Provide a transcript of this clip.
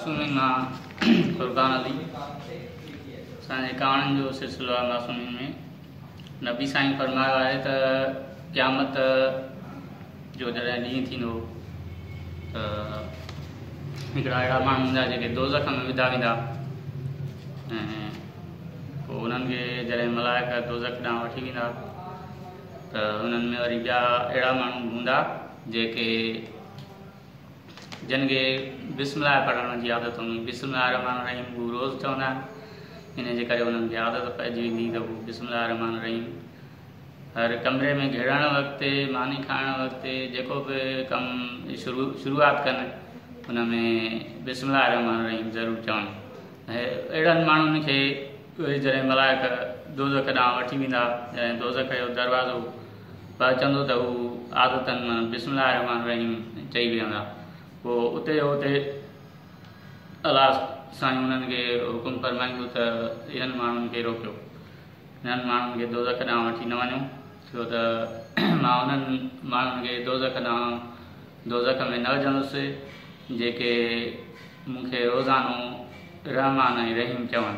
معصومين مان فرقان علي. اسان جي ڪهاڻين جو سلسلو آهي معصومين ۾. نبي سائين فرمايو آهي ته قيامت جو جڏهن ڏينهن ٿيندو ته هڪڙا اهڙا ماڻهو هوندا جيڪي دوزخ ۾ وڌا ويندا ۽ پوء انهن کي جڏهن ملائڪ دوزخ ڏانهن وٺي ويندا ته انهن ۾ وري ٻيا اهڙا ماڻهو به هوندا جيڪي جن کي بسم الله پڙهڻ جي عادت هوندي. بسم الله الرحمٰن الرحيم هو روز چوندا آهن. ان جي ڪري انهن کي عادت پئجي ويندي ته هو بسم الله الرحمٰن الرحيم هر ڪمري ۾ گهڙڻ وقت، ماني کائڻ وقت، جيڪو به ڪم شروعات ڪن ان ۾ بسم الله الرحمٰن الرحيم ضرور چون. ۽ اهڙن ماڻهن کي اهي جڏهن ملائڪ دوزخ ڏانهن وٺي ويندا، جڏهن دوزخ جو دروازو پهچندو ته هو عادتاً بسم الله الرحمٰن الرحيم چئي ويهندا. پوء اتي جو اتي الله سائين انهن کي حڪم فرمائيندو ته انهن ماڻهن کي روڪيو، انهن ماڻهن کي دوزخ ڏانهن وٺي نه وڃو، ڇو ته مان انهن ماڻهن کي دوزخ ڏانهن دوزخ ۾ نه وجهندس جيڪي مون کي روزانو رحمان ۽ رحيم چون.